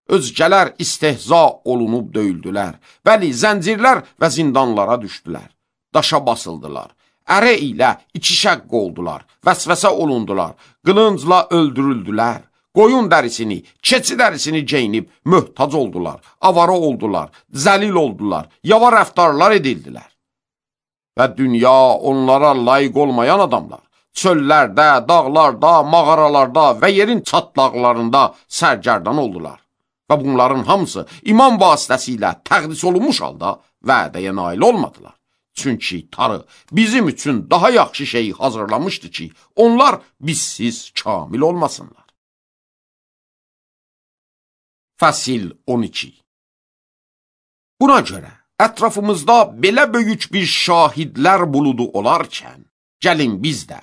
Özgələr istehza olunub döyüldülər, bəli, zəncirlər və zindanlara düşdülər. Daşa basıldılar, ərə ilə iki şəqq oldular, vəsvəsə olundular, qılıncla öldürüldülər, qoyun dərisini, keçi dərisini geyinib möhtac oldular, avara oldular, zəlil oldular, yava rəftarlar edildilər. Və dünya onlara layiq olmayan adamlar, çöllərdə, dağlarda, mağaralarda və yerin çatlaqlarında sərgərdan oldular. Və bunların hamısı iman vasitəsilə təqdis olunmuş halda vədəyə nail olmadılar. Çünki tarı bizim üçün daha yaxşı şeyi hazırlamışdı ki, onlar bizsiz kamil olmasınlar. Fəsil on iki. Buna görə ətrafımızda belə böyük bir şahidlər buludu olarkən, gəlin biz də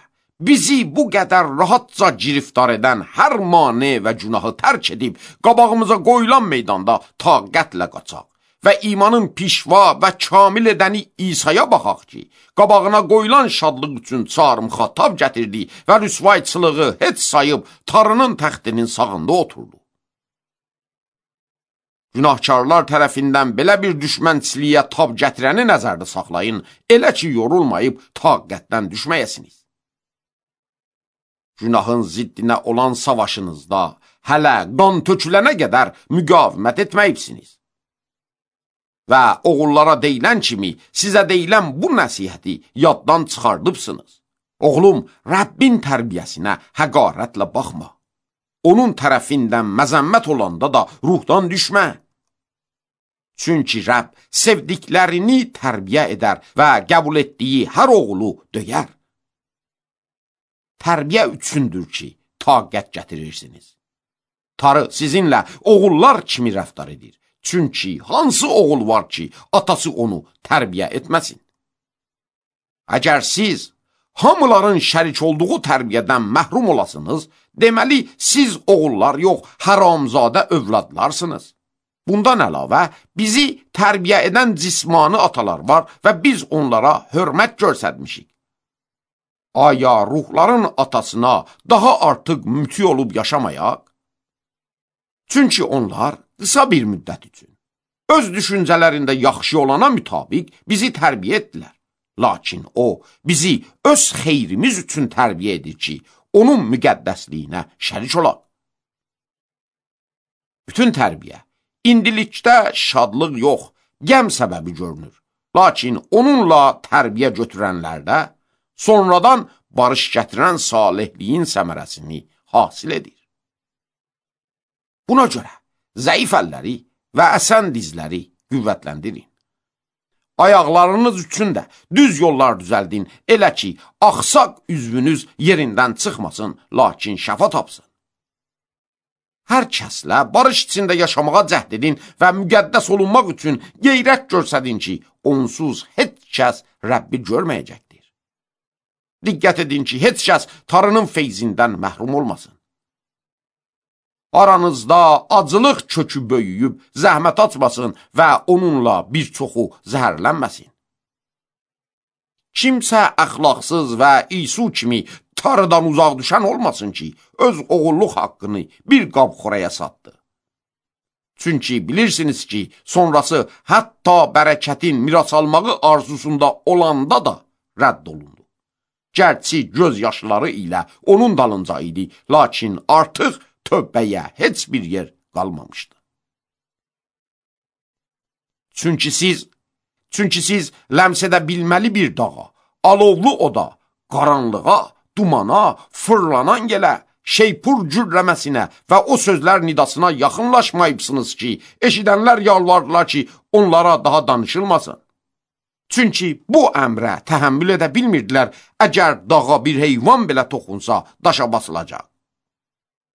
bizi bu qədər rahatca giriftar edən hər mane və günahı tərk edib, qabağımıza qoyulan meydanda taqətlə qaçaq və imanın pişva və kamil edəni İsa'ya baxaq ki, qabağına qoyulan şadlıq üçün çarmıxa tab gətirdi və rüsvayçılığı heç sayıb Tanrının təxtinin sağında oturdu. Günahkarlar tərəfindən belə bir düşmənçiliyə tab gətirəni nəzərdə saxlayın, elə ki, yorulmayıb taqətdən düşməyəsiniz. Günahın ziddinə olan savaşınızda hələ qan tökülənə qədər müqavimət etməyibsiniz. Və oğullara deyilən kimi sizə deyilən bu nəsihəti yaddan çıxardıbsınız. Oğlum, Rəbbin tərbiyəsinə həqarətlə baxma. Onun tərəfindən məzəmmət olanda da ruhdan düşmə. Çünki Rəbb sevdiklərini tərbiyə edər və qəbul etdiyi hər oğulu döyər. Tərbiyə üçündür ki, taqət gətirirsiniz. Tanrı sizinlə oğullar kimi rəftar edir. Çünki hansı oğul var ki, atası onu tərbiyə etməsin? Əgər siz hamıların şərik olduğu tərbiyədən məhrum olasınız, deməli, siz oğullar yox, haramzadə övladlarsınız. Bundan əlavə, bizi tərbiyə edən cismani atalar var və biz onlara hörmət göstərmişik. Aya ruhların atasına daha artıq müti olub yaşamayaq? Çünki onlar qısa bir müddət üçün öz düşüncələrində yaxşı olana mütabiq bizi tərbiyə etdilər. Lakin o, bizi öz xeyrimiz üçün tərbiyə edir ki, onun müqəddəsliyinə şərik olaq. Bütün tərbiyə indilikdə şadlıq yox, qəm səbəbi görünür. Lakin onunla tərbiyə götürənlərdə sonradan barış gətirən salihliyin səmərəsini hasil edir. Buna görə zəif əlləri və əsən dizləri qüvvətləndirin. Ayaqlarınız üçün də düz yollar düzəldin, elə ki, axsaq üzvünüz yerindən çıxmasın, lakin şəfa tapsın. Hər kəslə barış içində yaşamağa cəhd edin və müqəddəs olunmaq üçün qeyrət göstərin ki, onsuz heç kəs Rəbbi görməyəcəkdir. Diqqət edin ki, heç kəs Tanrının feyzindən məhrum olmasın. Aranızda acılıq kökü böyüyüb zəhmət açmasın və onunla bir çoxu zəhərlənməsin. Kimsə əxlaqsız və İsu kimi Tanrıdan uzaq düşən olmasın ki, öz oğulluq haqqını bir qab xoraya satdı. Çünki bilirsiniz ki, sonrası hətta bərəkətin miras almağı arzusunda olanda da rədd olundu. Gərçi göz yaşları ilə onun dalınca idi, lakin artıq tövbəyə heç bir yer qalmamışdı. Çünki siz, çünki siz ləms edə bilməli bir dağa, alovlu oda, qaranlığa, dumana, fırlanan gələ, şeypur cürləməsinə və o sözlər nidasına yaxınlaşmayıbsınız ki, eşidənlər yalvardılar ki, onlara daha danışılmasın. Çünki bu əmrə təhəmmül edə bilmirdilər, əgər dağa bir heyvan belə toxunsa, daşa basılacaq.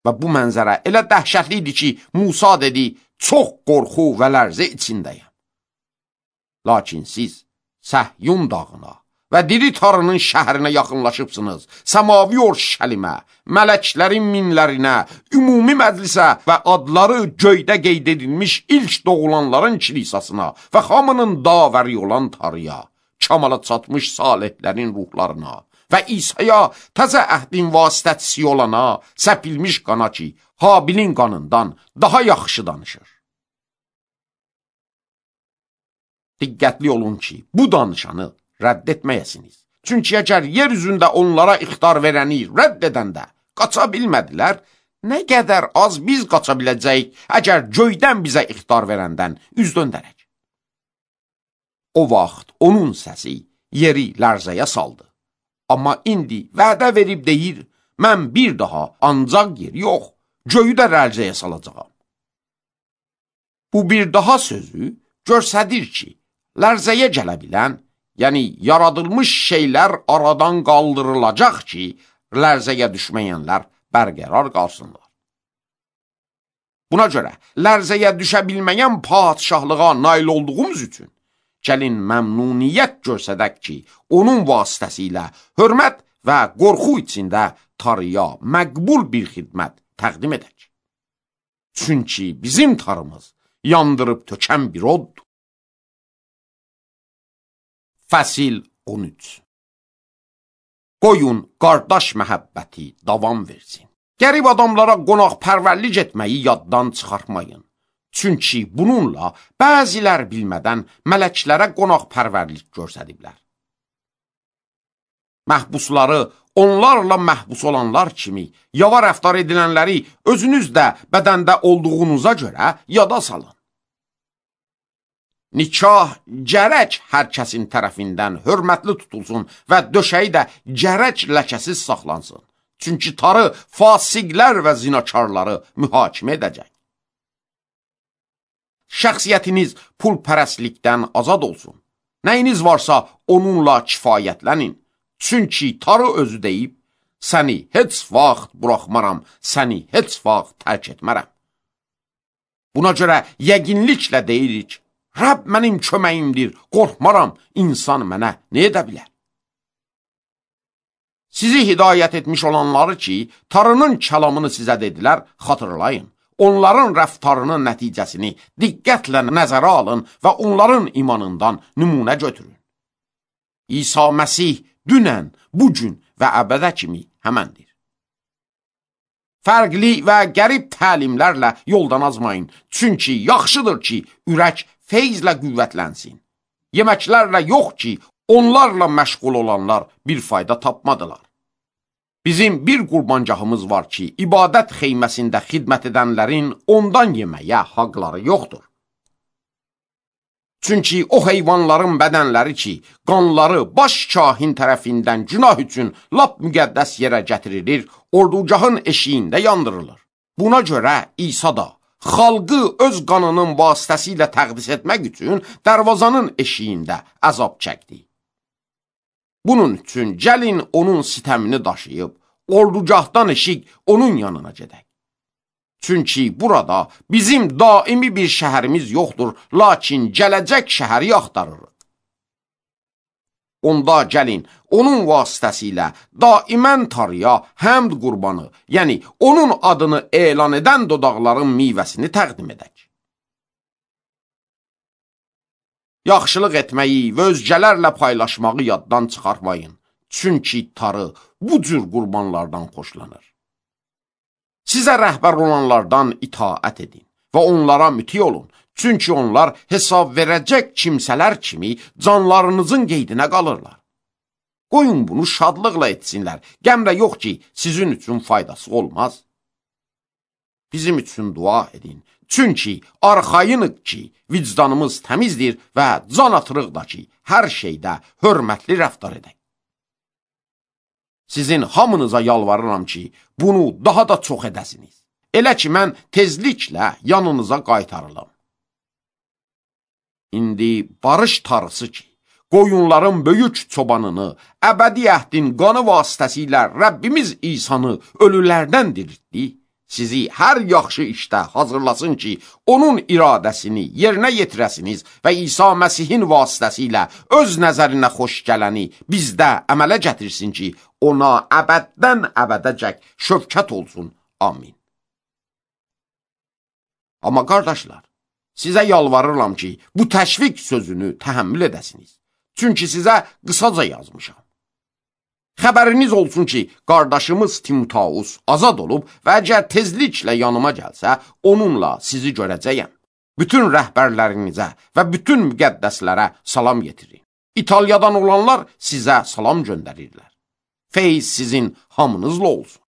Və bu mənzərə elə dəhşətli idi ki, Musa dedi, çox qorxu və lərzə içindəyəm. Lakin siz Səhyun dağına və diri Tanrının şəhərinə yaxınlaşıbsınız, səmavi Orşəlimə, mələklərin minlərinə, ümumi məclisə və adları göydə qeyd edilmiş ilk doğulanların kilisasına və hamının davəri olan Tanrıya, kamala çatmış salihlərin ruhlarına və İsa'ya təzə əhdin vasitəçisi olana, səpilmiş qana ki, Habilin qanından daha yaxşı danışır. Diqqətli olun ki, bu danışanı rədd etməyəsiniz. Çünki əgər yer üzündə onlara ixtar verəni rədd edəndə qaça bilmədilər, nə qədər az biz qaça biləcəyik, əgər göydən bizə ixtar verəndən üz döndərək. O vaxt onun səsi yeri lərzəyə saldı. Amma indi vədə verib deyir, mən bir daha ancaq yer yox, göyü də lərzəyə salacağam. Bu bir daha sözü göstərir ki, lərzəyə gələ bilən, yəni yaradılmış şeylər aradan qaldırılacaq ki, lərzəyə düşməyənlər bərqərar qalsınlar. Buna görə lərzəyə düşə bilməyən padişahlığa nail olduğumuz üçün gəlin məmnuniyyət göstərək ki, onun vasitəsilə hörmət və qorxu içində tarıya məqbul bir xidmət təqdim edək. Çünki bizim tarımız yandırıb tökən bir oddur. Fəsil on üç. Qoyun qardaş məhəbbəti davam versin. Qərib adamlara qonaqpərvərlik etməyi yaddan çıxartmayın. Çünki bununla bəzilər bilmədən mələklərə qonaqpərvərlik göstəriblər. Məhbusları onlarla məhbus olanlar kimi yava rəftar edilənləri özünüz də bədəndə olduğunuza görə yada salın. Nikah gərək hər kəsin tərəfindən hörmətli tutulsun və döşəyi də gərək ləkəsiz saxlansın. Çünki tarı fasiqlər və zinakarları mühakimə edəcək. Şəxsiyyətiniz pulpərəstlikdən azad olsun. Nəyiniz varsa onunla kifayətlənin. Çünki tarı özü deyib, səni heç vaxt buraxmaram, səni heç vaxt tərk etmərəm. Buna görə yəqinliklə deyirik, Rəbb mənim köməyimdir, qorxmaram, insan mənə nə edə bilər? Sizi hidayət etmiş olanları ki, tarının kəlamını sizə dedilər, xatırlayın. Onların rəftarının nəticəsini diqqətlə nəzərə alın və onların imanından nümunə götürün. İsa Məsih dünən, bugün və əbədə kimi həməndir. Fərqli və qərib təlimlərlə yoldan azmayın. Çünki yaxşıdır ki, ürək feyzlə qüvvətlənsin. Yeməklərlə yox ki, onlarla məşğul olanlar bir fayda tapmadılar. Bizim bir qurbancağımız var ki, ibadət xeyməsində xidmət edənlərin ondan yeməyə haqları yoxdur. Çünki o heyvanların bədənləri ki, qanları baş kahin tərəfindən günah üçün lap müqəddəs yerə gətirilir, ordugahın eşiyində yandırılır. Buna görə İsa da xalqı öz qanının vasitəsilə təqdis etmək üçün dərvazanın eşiyində əzab çəkdi. Bunun üçün gəlin onun sitəmini daşıyıb, ordugahdan eşik onun yanına gedək. Çünki burada bizim daimi bir şəhərimiz yoxdur, lakin gələcək şəhəri axtarırıq. Onda gəlin, onun vasitəsilə daimən tarıya həmd qurbanı, yəni onun adını elan edən dodaqların meyvəsini təqdim edək. Yaxşılıq etməyi və özgələrlə paylaşmağı yaddan çıxarmayın. Çünki tarı bu cür qurbanlardan xoşlanır. Sizə rəhbər olanlardan itaət edin və onlara müti olun. Çünki onlar hesab verəcək kimsələr kimi canlarınızın qeydinə qalırlar. Qoyun bunu şadlıqla etsinlər, qəmlə yox ki, sizin üçün faydası olmaz. Bizim üçün dua edin. Çünki arxayınıq ki, vicdanımız təmizdir və can atırıq da ki, hər şeydə hörmətli rəftar edək. Sizin hamınıza yalvarıram ki, bunu daha da çox edəsiniz. Elə ki, mən tezliklə yanınıza qaytarılım. İndi barış tarısı ki, qoyunların böyük çobanını, əbədi əhdin qanı vasitəsilə Rəbbimiz İsanı ölülərdən diriltdi, sizi hər yaxşı işdə hazırlasın ki, onun iradəsini yerinə yetirəsiniz və İsa Məsihin vasitəsilə öz nəzərinə xoş gələni bizdə əmələ gətirsin ki, ona əbəddən əbədəcək şövkət olsun. Amin. Amma qardaşlar, sizə yalvarıram ki, bu təşviq sözünü təhəmmül edəsiniz. Çünki sizə qısaca yazmışam. Xəbəriniz olsun ki, qardaşımız Timoteus azad olub və əgər tezliklə yanıma gəlsə, onunla sizi görəcəyəm. Bütün rəhbərlərinizə və bütün müqəddəslərə salam getirin. İtaliyadan olanlar sizə salam göndərirlər. Feyz sizin hamınızla olsun.